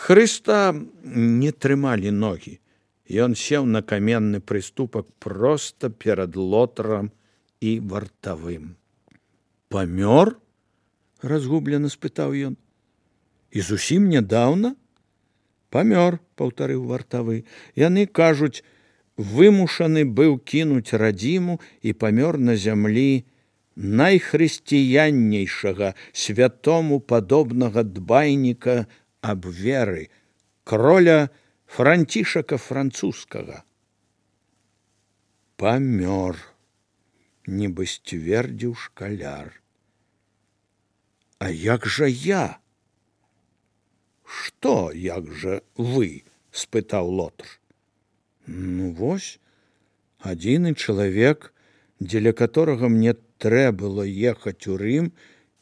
Хрыста не трымалі ногі. Ён сеў на каменны прыступак проста перад Лотарам і вартавым. «Памёр?» – разгублена спытаў ён. «І зусім нядаўна?» «Памёр», – паўтарыў вартавы. «Яны кажуць, вымушаны быў кінуць радзіму і памёр на зямлі найхрысціяннейшага, святому падобнага дбайніка аб веры, кроля Францішака французскага». «Памёр», нібы сцвердзіў шкаляр. «А як жа я?» «Што, як жа вы?» – спытаў Лотар. «Ну вось, адзіны чалавек, дзеля которага мне трэ было ехаць у Рым,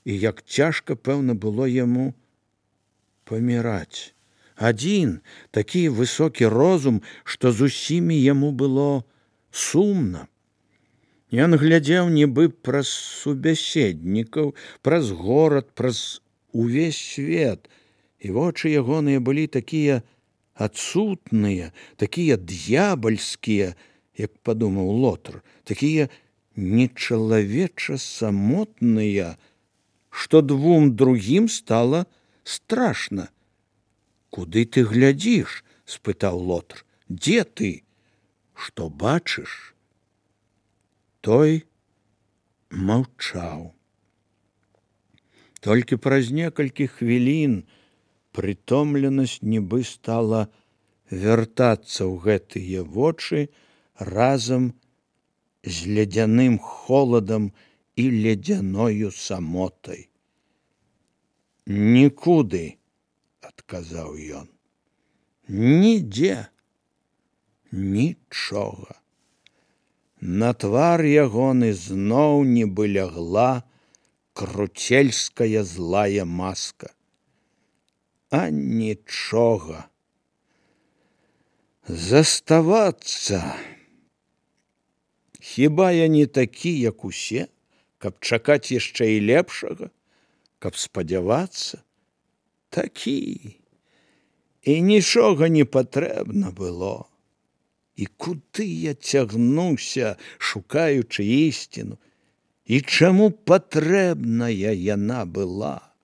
і як цяжка, пэўна, было яму паміраць. Адзін такі высокі розум, што з усімі яму было сумна. Ён глядзеў нібы праз субяседнікаў, праз горад, праз увесь свет, і вочы ягоныя былі такія адсутныя, такія д'ябальскія, як падумаў Лотар, такія нечалавеча самотныя, што двум другім стала страшна. «Куды ты глядзіш?» – спытаў Лотар. «Дзе ты? Што бачыш?» Той маўчаў. Толькі праз некалькі хвілін прытомленасць нібы стала вяртацца ў гэтыя вочы разам з ледзяным холадам і ледзяною самотай. «Нікуды», – адказаў ён. «Нідзе, нічога». На твар ягоны зноў нібы лягла круцельская злая маска. А нічога. Заставацца. Хіба я не такі, як усе, каб чакаць яшчэ і лепшага, каб спадзявацца? Такі. І нічога не патрэбна было. І куды я цягнуўся, шукаючы ісціну? І чаму патрэбная яна была?»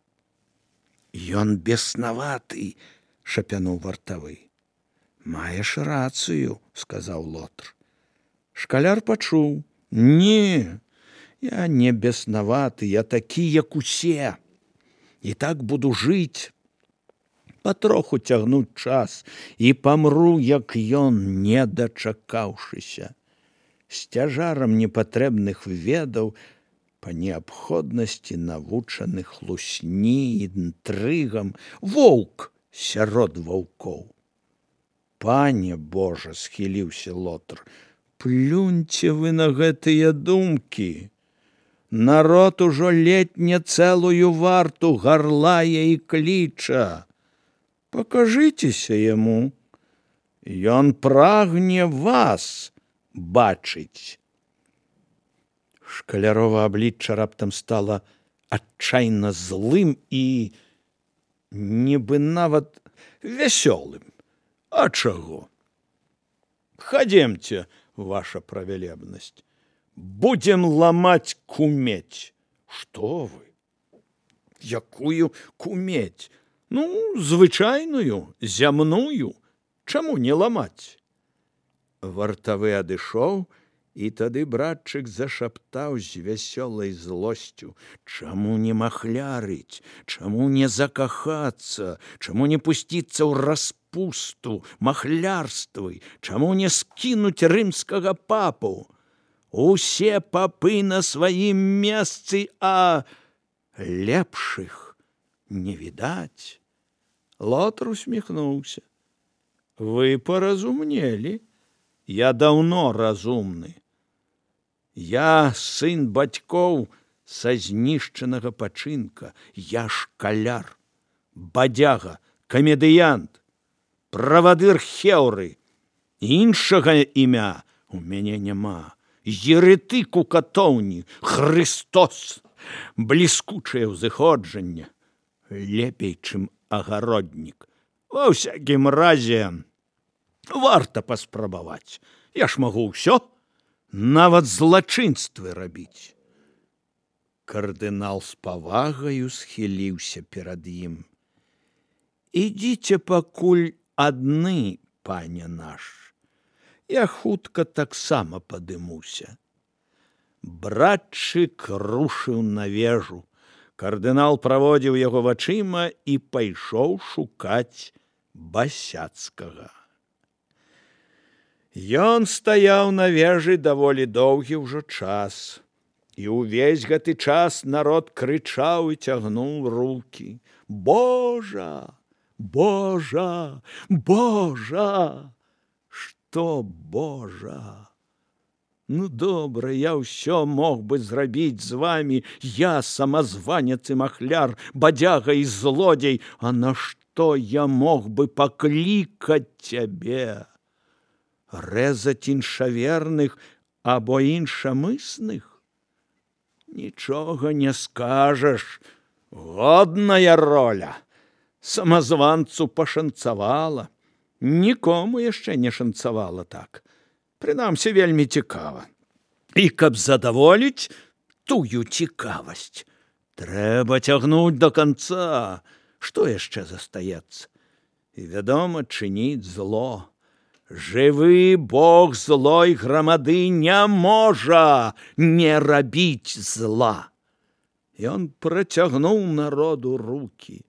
«Ён беснаваты», – шапянуў вартавы. «Маеш рацыю», – сказаў Лотар. Шкаляр пачуў. «Не, я не беснаваты, я такі, як усе. І так буду жыць, патроху цягнуць час, і памру, як ён, не дачакаўшыся, з цяжарам непатрэбных ведаў, па неабходнасці навучаных лусні, інтрыгам, воўк сярод ваўкоў». «Пане Божа», – схіліўся Лотар, – «плюньце вы на гэтыя думкі. Народ ужо ледне цэлую варту гарлае і кліча. Пакажыцеся яму. Ён прагне вас бачыць». Шкалярова аблічча раптам стала адчайна злым і нібы нават вясёлым. «А чаго? Хадземце, ваша правялебнасць. Будзем ламаць кумедь». «Што вы? Якую кумедь? Ну, звычайную, зямную. Чаму не ламаць?» Вартавы адышоў, і тады братчык зашаптаў з вясёлай злосцю: «Чаму не махлярыць? Чаму не закахацца? Чаму не пусціцца ў распусту, махлярствы? Чаму не скінуць рымскага папу? Усе папы на сваім месцы, а лепшых не відаць». Лотар усміхнуўся. «Вы паразумнелі. Я даўно разумны. Я сын бацькоў са знішчанага пачынка. Я шкаляр, бадзяга, камедыянт, правадыр Хеўры. Іншага імя у мяне няма. Еретык у катоўні, Хрыстос, бліскучае ўзыходжанне. Лепей, чым агароднік. Ва ўсякім разе варта паспрабаваць. Я ж магу ўсё, нават злачынствы рабіць. Кардынал з павагаю схіліўся перад ім. Ідзіце пакуль адны, пане наш. Я хутка таксама падымуся. Братчык рушыў на вежу. Кардынал праводзіў яго вачыма і пайшоў шукаць Басяцкага. Ён стаяў на вежы даволі доўгі ўжо час. І ўвесь гэты час народ крычаў і цягнуў рукі. Божа! Божа! Божа! Што Божа? Ну, добра, я ўсё мог бы зрабіць з вамі. Я самазванец і махляр, бадзяга і злодзей. А на што я мог бы паклікаць цябе? Рэзаць іншаверных або іншамысных? Нічога не скажаш. Годная роля. Самазванцу пашанцавала. Нікому яшчэ не шанцавала так. Прынамсі, вельмі цікава. І каб задаволіць тую цікавасць, трэба цягнуць да канца. Што яшчэ застаецца? І, вядома, чыніць зло. Жывы Бог злой грамады не можа не рабіць зла. Ён працягнуў народу рукі.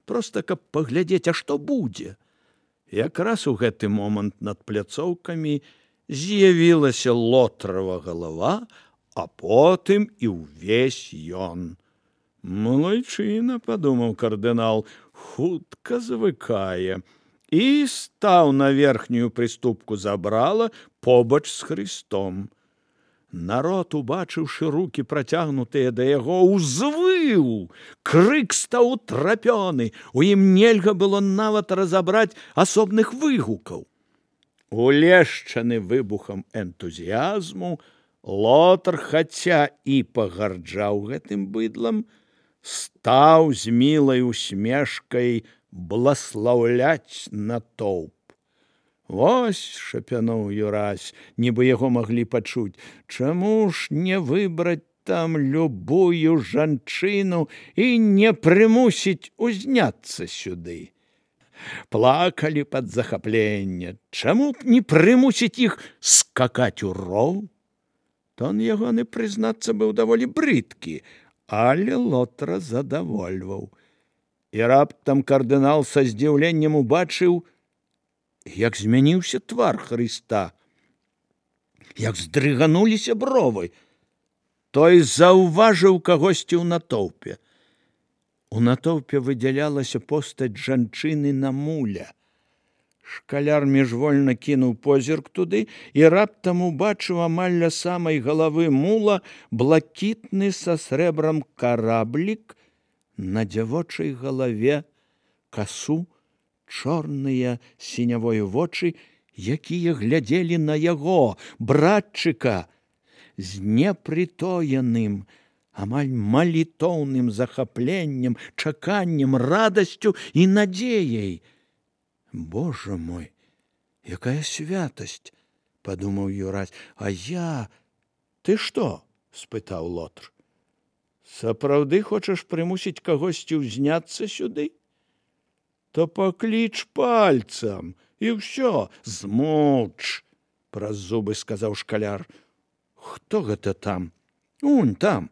Проста каб паглядзець, а што будзе. Якраз у гэты момант над пляцоўкамі з'явілася Лотрава галава, а потым і ўвесь ён. Малайчына, падумаў кардынал, хутка звыкае. І стаў на верхнюю прыступку забрала побач з Хрыстом. Народ, убачыўшы рукі працягнутыя да яго, узвыў. Крык стаў утрапёны. У ім нельга было нават разабраць асобных выгукаў. Улешчаны выбухам энтузіязму, Лотар, хаця і пагарджаў гэтым быдлам, стаў з мілай усмешкай бласлаўляць натоўп. Вось, шапянуў Юрась, нібы яго маглі пачуць, чаму ж не выбраць там любую жанчыну і не прымусіць узняцца сюды? Плакалі пад захапленне. Чаму б не прымусіць іх скакаць у роў? Тон ягоны, прызнацца, быў даволі брыдкі, але Лотара задавольваў. І раптам кардынал са здзіўленнем убачыў, як змяніўся твар Хрыста, як здрыгануліся бровы. Той заўважыў кагосьці ў натоўпе. У натоўпе выдзялялася постаць жанчыны на муля. Шкаляр міжвольна кінуў позірк туды і раптам убачыў амаль ля самай галавы мула блакітны са срэбрам караблік, на дзявочай галаве касу, чорныя сінявою вочы, якія глядзелі на яго, братчыка, з непрытоеным, амаль малітоўным захапленнем, чаканнем, радасцю і надзеяй. Божа мой, якая святасць, падумаў Юрась. А я... Ты што? Спытаў Лотар. Сапраўды хочаш прымусіць кагосьці ўзняцца сюды? То пакліч пальцам, і ўсё, змоўч, праз зубы сказаў шкаляр. Хто гэта там? Унь там.